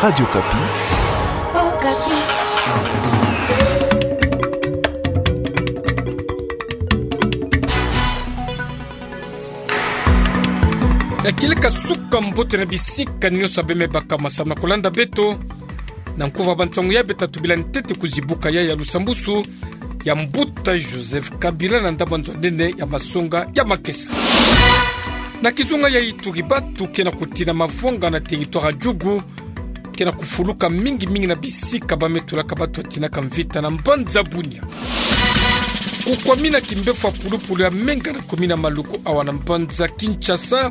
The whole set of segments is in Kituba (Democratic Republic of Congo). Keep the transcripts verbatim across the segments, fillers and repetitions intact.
Radio Okapi. Okapi. Ya kieleka suka mbote na bisika nyonso abe me baka masamu na kulanda beto. Na nkuva ba nsangu ya beta tubila ntete kuzibuka ya ya lusambusu ya mbuta Joseph Kabila na ndambu nzo nene ya masonga ya makesa. Na kizunga ya Ituri, batu ke na kutina mavwanga na territoire ya Djugu ke na kufuluka mingi mingi na bisika ba me tulaka batu ya tinaka mvita na mbanza Bunia. Kukwamina kimbefo ya pulupulu ya menga na kumina maluku awa na mbanza Kinshasa,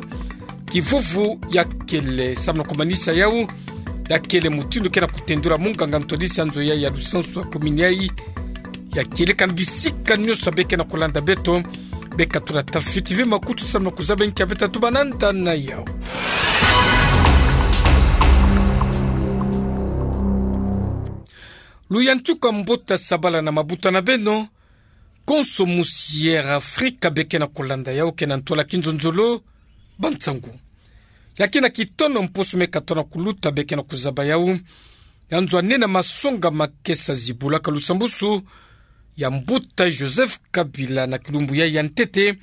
kivuvu ya kele samu na kumanisa yau, ya kele mutindu ke na kutendula munganga ntwadisi ya nzo ya ya lusansu ya kumini yai. Ya kieleka na bisika nyonso abe ke na kulanda beto, beka tula tafioti ve makutu samu na kuzaba nkia beta tubananda na yau. Luyantika mbote, sabala na mabuta na beno, konso musi Air Africa be ke na kulanda yau ke na ntwala kinzonzolo ba nsangu. Ya ke na kitono mposo me katona kuluta be ke na kuzaba yau, ya nzo nene ya masonga makesa zibulaka lusambusu ya mbuta Joseph Kabila na kilumbu ya ya ntete,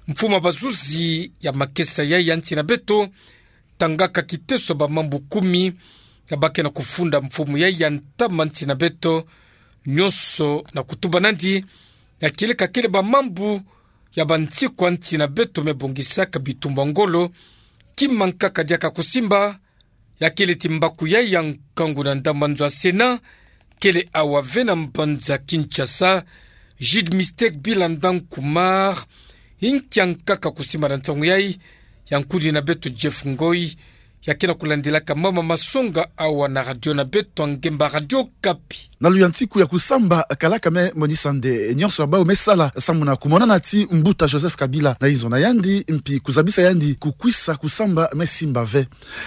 mfumu ya bazuzi ya makesa ya ya nsi na beto tangaka kiteso ba mambu kumi ya ba ke na kufunda mfumu ya ya ntama nsi na beto nyonso na kutuba nandi, ya kieleka kele ba mambu ya bansiku ya nsi na beto me bongisaka bitumbu ya ngolo, kima nkaka diaka kusimba, ya kele ti mbaku ya ya nkangu na ndambu nzo ya Sénat, kele awa ve na mbanza Kinshasa, Jude Mistake Bilanda Nkumar, nkia nkaka kusimba na nsangu yai, ya nkudi na beto Jeff Ngoi, ya ke na kulandilaka mama masonga awa na radio na beto ya ngemba Radio Okapi. Na luyantiku ya kusamba, kalaka me monisa nde nyonso ya bau me sala samu na kumonana ti mbuta Joseph Kabila na inzo na yandi, mpi kuzabisa yandi kukwisa kusamba me simba ve.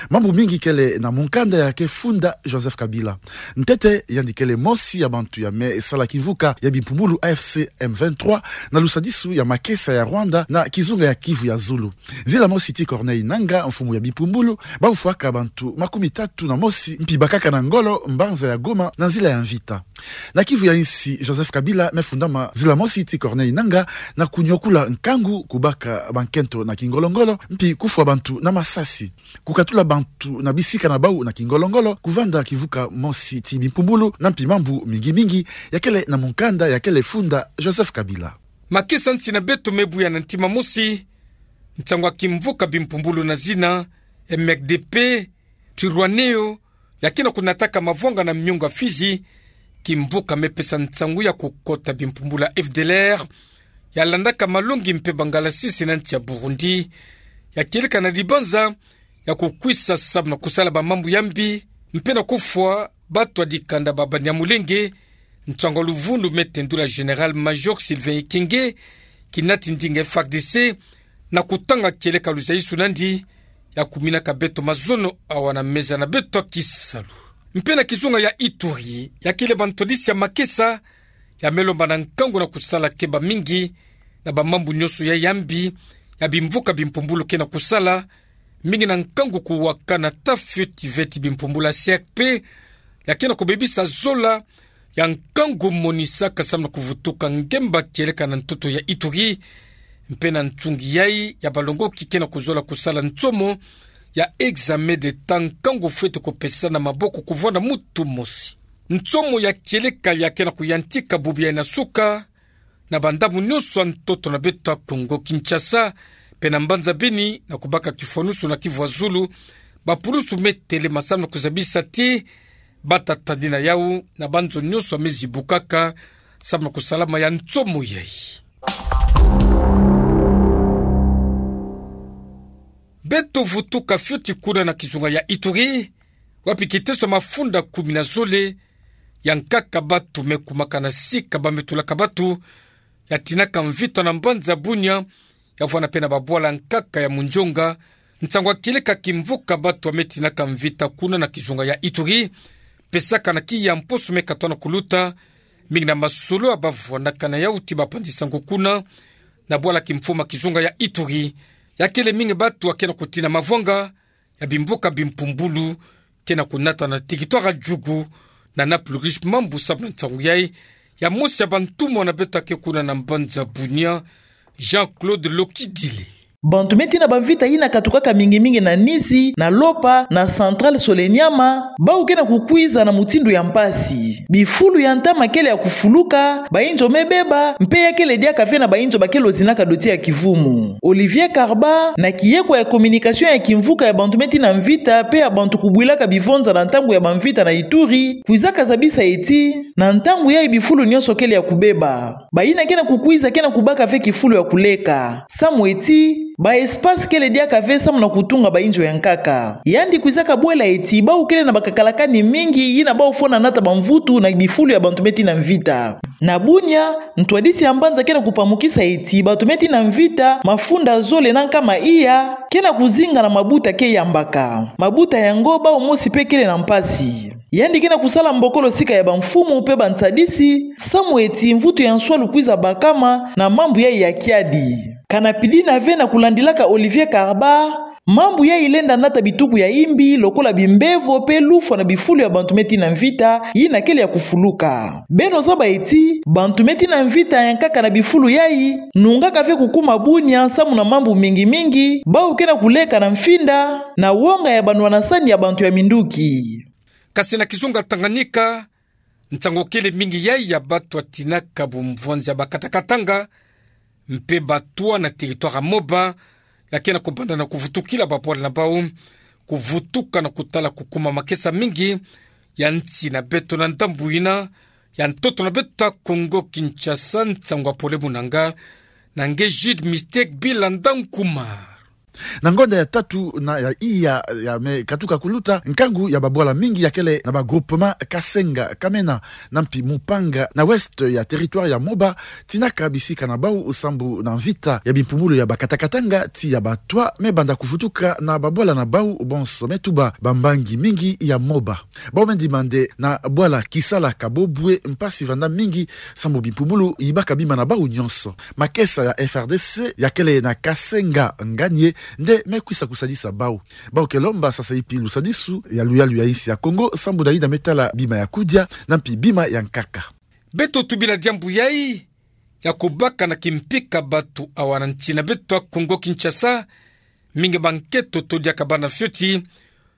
Mambu mingi kele na mukanda ya ke funda Joseph Kabila. Ntete, yandi kele mosi ya bantu ya me sala kimvuka ya bimpumbulu A F C M vingt-trois na lusadisu ya makesa ya Rwanda na kizunga ya Kivu ya zulu. Nzila mosi ti Corneille Nangaa, mfumu ya bimpumbulu, bamfwaka bantu makumi tatu na mosi, mpi bakaka na ngolo mbanza ya Goma na nzila ya mvita. Na Kivu ya insi, Joseph Kabila me fundama nzila mosi ti Corneille Nangaa na kunyokula nkangu, kubaka bankento na kingolo-ngolo, mpi kufwa bantu na masasi, kukatula bantu na bisika na bau na kingolo-ngolo, kuvanda kimvuka mosi ti bimpumbulu, na mpi mambu mingi-mingi ya kele na mukanda ya kele funda Joseph Kabila. Makesa nsi na beto me buya na ntima mosi nsangu ya kimvuka bimpumbulu na zina M R D P, Twirwaneho, ya ke na kunataka mavwanga na miongo ya Fidji, kimvuka me pesa nsangu ya kukota bimpumbulu ya F D L R, ya landaka malongi mpe bangalasisi na nsi ya Burundi, ya kieleka na dibanza ya kukwisa samu na kusala ba mambu ya mbi, mpe na kufwa bato ya dikanda ba Banyamulenge, nsangu ya luvunu me tendula Général-Major Sylvain Ekenge, kinati ndinga F A R D C, na kutanga kieleka luzayisu nandi, ya kuminaka beto mazono awa na meza na beto ya kisalu. Mpe na kizunga ya Ituri, ya kele ba ntwadisi ya makesa, ya me lomba na nkangu na kusala keba mingi na ba mambu nyonso ya ya mbi, ya bimvuka bimpumbulu ke na kusala, mingi na nkangu kuwakana tafioti ve ti bimpumbulu ya C R P, ya ke na kubebisa zola, ya nkangu monisaka samu na kuvutuka ngemba kieleka na ntoto ya Ituri, mpe na nsungi yai ya balongoki ke na kuzola kusala nsomo ya examen d'État nkangu fweti kupesana maboko kuvwanda mutu mosi. Nsomo ya kieleka ya ke na kuyantika bubu yai na suka, na bandambu nyonso ya ntoto na beto ya Kongo Kinshasa, mpe na mbanza Beni, na kubaka kifwanusu na Kivu ya zulu, bapulusu me telema samu na kuzabisa ti bata tadina yau na banzo nyonso ya me zibukaka samu na kusalama ya nsomo yai. Beto vutuka fioti kuna na kizunga ya Ituri, wapi kiteso ya mafunda kumi na zole ya nkaka batu me kumaka na sika ba me tulaka batu, ya tinaka mvita na mbanza Bunia, ya vwanda mpe na babwala nkaka ya Mundjonga, nsangu ya kieleka kimvuka batu ya me tinaka mvita kuna na kizunga ya Ituri, pesaka na kiya mposo me katona kuluta, mingi na masolo ya bavwandaka na yau ti bapanzi sango kuna, na bwala kimfumu ya kizunga ya Ituri, ya kele mingi batu ya ke na kutina mavwanga ya bimvuka bimpumbulu, ke na kunata na territoire ya Djugu, na Naplourich, mambu samu na nsangu yai, ya mosi ya bantumwa na beto ake kuna na mbanza Bunia, Jean-Claude Lokidile. Bantu me tina bamvita yina katukaka mingi mingi na Nizi, na Lopa, na Centrale Soleniama, bau ke na kukwiza na mutindu ya mpasi. Bifulu ya ntama kele ya kufuluka, bainzo me beba, mpe ya kele diaka ve na bainzo bakele ozinaka doti ya kivumu. Olivier Karba, na kiyekwa ya communication ya kimvuka ya bantu me tina mvita, mpe ya bantu kubwilaka bivonza na ntangu ya bamvita na Ituri, kwizaka zabisa eti, na ntangu yai bifulu nyonso kele ya kubeba. Bayina ke na kukwiza ke na kubaka ve kifulu ya kuleka. Samu eti, ba espace kele diaka ve samu na kutunga bainzo ya nkaka. Yandi kwizaka bwela eti, bau kele na bakakalakani mingi, yina bau fo na nata bamvutu na bifulu ya bantu me tina mvita. Na Bunia, ntwadisi ya mbanza ke na kupamukisa eti, bantu me tina mvita, mafunda zole na nkama iya, ke na kuzinga na mabuta ke yambaka. Mabuta yango bau mosi mpe kele na mpasi. Yandi ke na kusala mbokolo sika ya bamfumu mpe bantsadisi, samu eti mvutu ya nswalu kwiza bakama na mambu yai ya kiadi. Ka na pidina ve na kulandilaka Olivier Karba, mambu yai lenda nata bituku ya imbi, lokola bimbevo mpe lufwa na bifulu ya bantu me tina mvita, yina kele ya kufuluka. Beno zaba eti, bantu me tina mvita ya nkaka na bifulu yai, nungaka ve kukuma Bunia, samu na mambu mingi mingi, bau ke na kuleka na mfinda, na wonga ya banwanasani ya bantu ya minduki. Kasi na kizunga Tanganyika, nsangu kele mingi yai ya batu ya tinaka bumvwanzi ya bakata-katanga, mpe batwa na territoire ya Moba, ya ke na kubanda na kuvutukila babwala na bau, kuvutuka na kutala kukuma makesa mingi ya nsi na beto na ndambu yina ya ntoto na beto ya Kongo Kinshasa. Nsangu ya pole munanga na nge Jude Mistake Bilanda Nkumar. Na ngonda ya tatu na ya iya ya me katuka kuluta, nkangu ya babwala mingi ya kele na ba groupement Kasenga, Kamena, na mpi Mupanga, na ouest ya territoire ya Moba, tinaka bisika na bau sambu na mvita ya bimpumbulu ya bakata-katanga ti ya batwa me banda kuvutuka na babwala na bau bonso me tuba bambangi mingi ya Moba. Bau me ndimande na bwala Kisala Kabobwe mpasi vanda mingi sambu bimpumbulu yibaka bima na bau nyonso. Makesa ya F R D C ya kele na Kasenga nganie nde me kwisa kusadisa bau. Bau ke lomba sasa ipi lusadisu ya luyalu ya insi ya Kongo sambu na yina me tala bima ya kudia na mpi bima ya nkaka. Beto tubila diambu yai ya kubaka na kimpika batu awa na nsi na beto ya Kongo Kinshasa, mingi ba nkento to diaka bana fioti,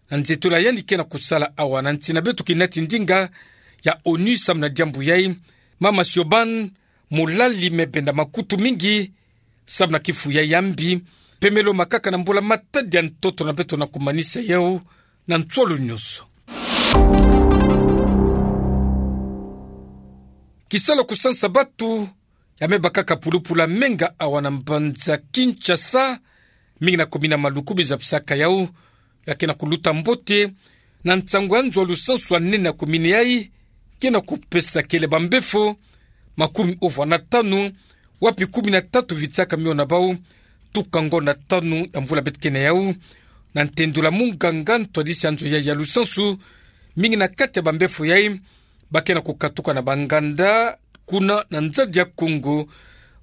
na nzitula yandi ke na kusala awa na nsi na beto kinati ndinga ya ONU samu na diambu yai, Mama Siobhan Mulali me benda makutu mingi samu na kifu yai ya mbi, pemelo makaka na mbula matadi ya ntoto na beto na kumanisa yau na nswalu nyonso. Kisalu kusansa batu ya me bakaka pulupulu ya menga awa na mbanza Kinshasa, mingi na commune ya Maluku bizabisaka yau, ya ke na kuluta mbote na nsangu ya nzo ya lusansu ya nene ya commune yai, ke na kupesa kele bambefo makumi uvwa na tanu, wapi kumi na tatu vitsaka mio na bau tuka ngonda tanu ya mvula beto ke na yau. Na ntendula munganga ntwadisi ya nzo yai ya lusansu, mingi na kati ya bambefo yai ba ke na kukatuka na banganda kuna na nzadi ya Kongo,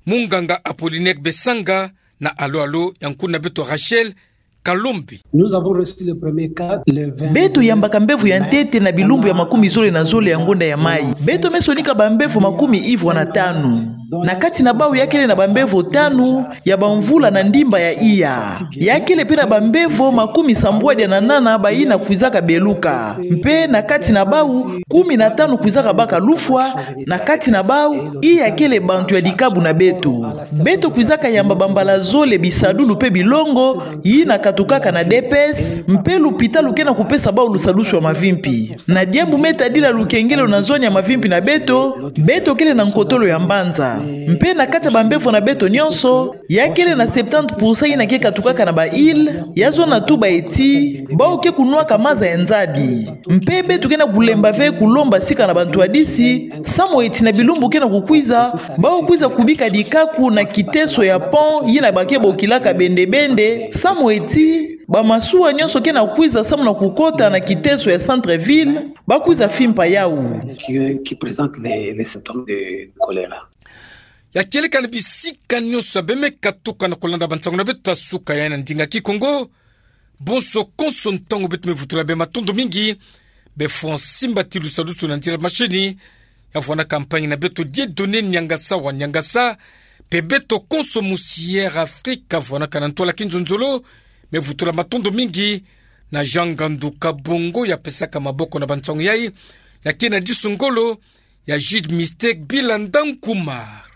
munganga Apollinaire Besanga, na alo-alo ya nkuna beto Rachel Kalombe. Nous avons reçu le premier cas le vingt. Beto yambaka mbevo ya ntete na bilumbu ya makumi zole na zole ya ngonda ya mai. Beto me sonika bambevo makumi ivwa na tanu. Na kati na bau ya kele na bambevo tanu ya bamvula na ndimba ya iya. Ya kele pe na bambevo makumi sambwadia na nana bayina kwizaka beluka. Mpe na kati na bau, kumi na tanu kwizaka baka lufwa, na kati na bau, iya kele bantu ya dikabu na beto. Beto kwizaka yamba bambala zole bisadulu pe bilongo, yina katukaka na D P S, mpe lupitalu ke na kupesa bau lusadusu ya mavimpi. Na diambu me tadila lukengelo na zoni ya mavimpi na beto, beto kele na nkotolo ya mbanza. Mpe na kati ya bambevo na beto nyonso, ya kele na septante pour cent yina ke katukaka na ba île, ya zona tuba eti, bau ke kunwaka maza ya nzadi. Mpe beto ke na kulemba ve kulomba sika na bantwadisi, samu eti na bilumbu ke na kukwiza, bau kwiza kubika dikaku na kiteso ya pont yina ba ke bokilaka bende-bende, samu eti bamasuwa nyonso ke na kwiza samu na kukota na kiteso ya centre-ville, ba kwiza fimpa yau. Qui, qui présente les, les symptômes de choléra. Ya kieleka na bisika nyonso ya bemeka tuka na kolanda bansangu na beto ya suka ya na ndinga Kikongo, Bonso konso ntangu beto me vutula bê, matondo mingi. Bê Francis Mbatilu, salusu na ndila masini. Ya vwanda ka mpaingina beto Dieudonné Niangasa wa Niangasa, mpe beto konso mosi Air Afrique ya vwandaka na ntwala ki nzonzolo, me vutula, matondo mingi. Na Jean Ngandu Kabongo, ya pesaka maboko na bansangu yai, ya kena disu ngolo, ya Jude Mistake Bilanda Nkumar.